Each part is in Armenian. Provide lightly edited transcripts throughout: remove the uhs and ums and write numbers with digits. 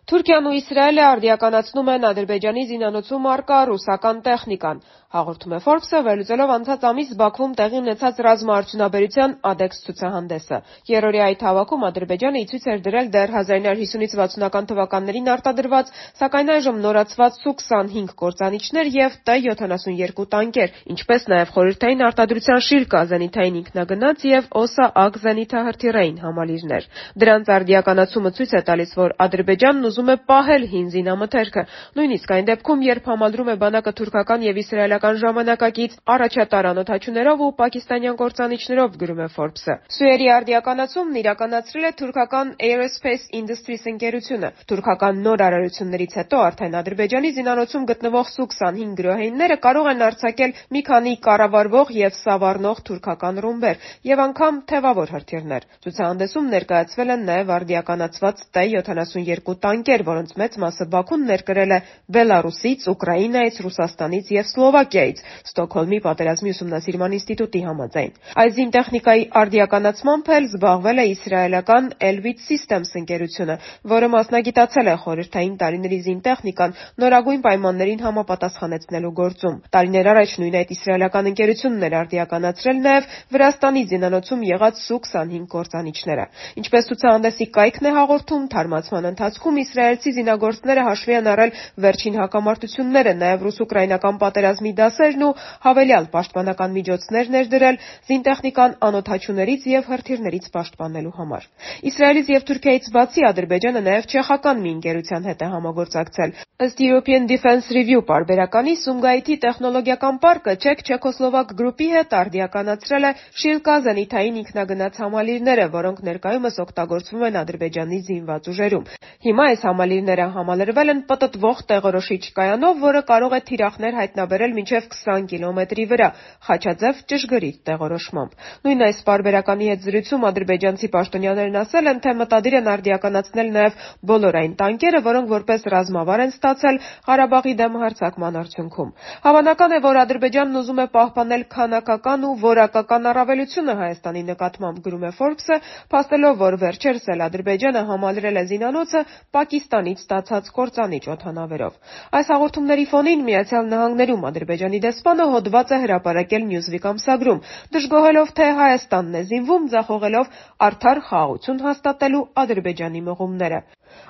Թուրքիան ու Իսրայելը արդիականացնում են Ադրբեջանի զինանոցում առկա ռուսական տեխնիկան, հաղորդում է Forbes-ը, վերլուծելով անցած ամիս Բաքվում տեղի ունեցած ռազմաարդյունաբերության ADEX ցուցահանդեսը։ Երրորդյա այդ հավաքում Ադրբեջանը ի ցույց էր դրել դեռ 1950-ից 60-ական թվականներին արտադրված, սակայն այժմ նորացված Su-25 կործանիչներ և T-72 տանկեր, ինչպես նաև խորհրդային արտադրության Շիրկա զենիթային ինքնագնաց և OSA-ԱԳ զենիթահրթիռային համալիրներ։ Դրանց արդիականացումը ցույց է տալիս, որ Ադրբեջանն ուզում է պահել հին զինամթերքը, նույնիսկ այն դեպքում, երբ համալրում է բանակը թուրքական և իսրայելական ժամանակակից առաջատար անօդաչուներով ու պակիստանյան կործանիչներով, գրում է Forbes-ը։ Սյուերի արդիականացումն իրականացրել է թուրքական Aerospace Industries ընկերությունը։ Թուրքական նոր արարություններից հետո արդեն Ադրբեջանի զինանոցում գտնվող Su-25 գրոհայինները կարող են արձակել մի քանի կառավարվող և սավառնող թուրքական ռումբեր և անգամ թևավոր հրթիռներ։ Ցուցահանդեսում ներկայացվել են նաև արդիականացված T-72 տանկեր, որոնց մեծ մասը Բաքուն ներկրել է Բելառուսից, Ուկրաինայից, Ռուսաստանից և Սլովակիայից, Ստոկհոլմի պատերազմի ուսումնասիրման ինստիտուտի համաձայն։ Այս զինտեխնիկայի արդիականացմամբ էլ զբաղվել է իսրայելական Elbit Systems ընկերությունը, որը մասնագիտացել է խորհրդային տարիների զինտեխնիկան նորագույն պայմաններին համապատասխանեցնելու գործում։ Տարիներ առաջ նույն այդ իսրայելական ընկերությունն էր արդիականացրել նաև Վրաստանի զինանոցում եղած Su-25 կործանիչները։ Ինչպես ցուցահանդեսի կայքն է հաղորդում, թարմացման ընթացքում իսրայելցի զինագործները հաշվի են առել վերջին հակամարտությունները, նաև ռուս-ուկրաինական պատերազմի դասերն ու հավելյալ պաշտպանական միջոցներ ներդրել զինտեխնիկան անօդաչուներից և հրթիռներից պաշտպանելու համար։ Իսրայելից և Թուրքիայից բացի Ադրբեջանը նաև չեխական մի ընկերության հետ է համագործակցել։ Ըստ European Defense Review պարբերականի, Սումգայիթի տեխնոլոգիական պարկը չեք-չեքոսլովակ գրուպի հետ արդիականացրել է Շիրկա զենիթային ինքնագնաց համալիրները, որոնք ներկայումս օգտագործվում են Ադրբեջանի զինված ուժերում։ Հիմա այս համալիրները համալրվել են պտտվող տեղորոշիչ կայանով, որը կարող է թիրախներ հայտնաբերել մինչև 20 կիլոմետրի վրա, խաչաձև ճշգրիտ տեղորոշմամբ։ Նույն այս պարբերականի հետ զրույցում ադրբեջանցի պաշտոնյաներն ասել են, թե մտադիր են արդիականացնել նաև բոլոր այն տանկերը, որոնք որպես ռազմավար են ստացել Ղարաբաղի դեմ հարձակման արդյունքում։ Հավանական է, որ Ադրբեջանն ուզում է պահպանել քանակական ու որակական առավելությունը Հայաստանի նկատմամբ, գրում է Forbes-ը, փաստելով, որ վերջերս էլ Ադրբեջանը համալրել է զինանոցը Պակիստանից ստացած կործանիչ օդանավերով։ Այս հաղորդումների ֆոնին Միացյալ Նահանգներում Ադրբեջանի դեսպանը հոդված է հրապարակել Newsweek ամսագրում, դժգոհելով, թե Հայաստանն է զինվում, ձախողելով արդար խաղաղություն հաստատելու Ադրբեջանի մղումները։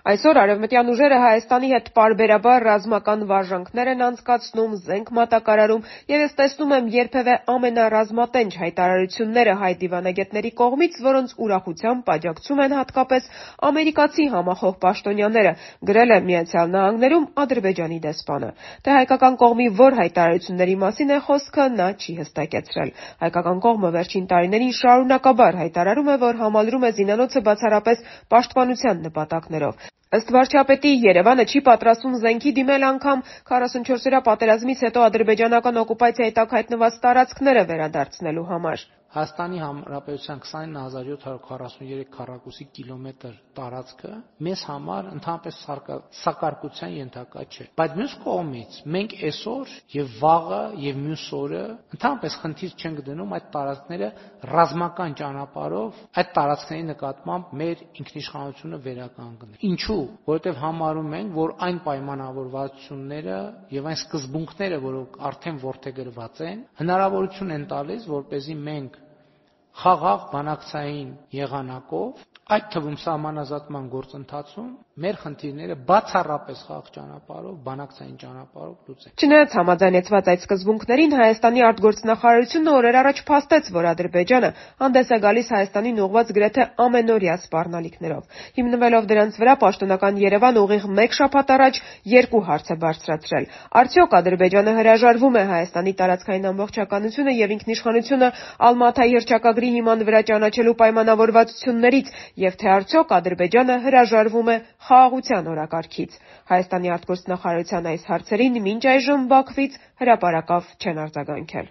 Այսօր արևմտյան ուժերը Հայաստանի հետ պարբերաբար ռազմական վարժանքներ են անցկացնում, զենք մատակարարում, և ես տեսնում եմ երբևէ ամենառազմատենչ հայտարարությունները հայ դիվանագետների կողմից, որոնց ուրախությամբ աջակցում են հատկապես ամերիկացի համախոհ պաշտոնյաները, գրել է Միացյալ Նահանգներում Ադրբեջանի դեսպանը։ Թե հայկական կողմի որ հայտարարությունների մասին է խոսքը, նա չի հստակեցրել։ Հայկական կողմը վերջին տարիներին շարունակաբար հայտարարում է, որ համալրում է զինանոցը բացառապես պաշտպանության նպատակներով։ Ըստ վարչապետի, Երևանը չի պատրաստվում զենքի դիմել անգամ 44-օրյա պատերազմից հետո ադրբեջանական օկուպացիայի տակ հայտնված տարածքները վերադարձնելու համար։ Հայաստանի Հանրապետության 29743 քառակուսի կիլոմետր տարածքը մեզ համար ընդհանրապես սակարկության ենթակա չէ։ Բայց մյուս կողմից մենք այսօր եւ վաղը եւ մյուս օրը ընդհանրապես խնդիր չենք դնում այդ տարածքները ռազմական ճանապարհով այդ տարածքների նկատմամբ մեր ինքնիշխանությունը վերականգնել։ Ինչու՞։ Որովհետեւ համարում ենք, որ այն պայմանավորվածությունները եւ այն սկզբունքները, որոնք արդեն որդեգրված են, հնարավորություն են տալիս, որպեսզի մենք խաղաղ բանակցային եղանակով, այդ թվում սահմանազատման գործընթացում մեր խնդիրները բացառապես խաղաղ ճանապարհով, բանակցային ճանապարհով լուծենք։ Չնայած համաձայնեցված այդ սկզբունքներին, Հայաստանի արտգործնախարարությունը օրեր առաջ փաստեց, որ Ադրբեջանը հանդես է գալիս Հայաստանին ուղղված գրեթե ամենօրյա սպառնալիքներով։ Հիմնվելով դրանց վրա, պաշտոնական Երևանը ուղիղ մեկ շաբաթ առաջ երկու հարց է բարձրացրել։ Արդյոք Ադրբեջանը հրաժարվում է Հայաստանի տարածքային ամբողջականությունը և ինքնիշխանությունը Ալմաթայի հռչակագրի հիման վրա ճանաչելու պայմանավորվածություններից, և թե արդյոք Ադրբեջանը հրաժարվում է խաղաղության օրակարգից։ Հայաստանի արտգործնախարարության այս հարցերին մինչ այժմ Բաքվից հրապարակավ չեն արձագանքել։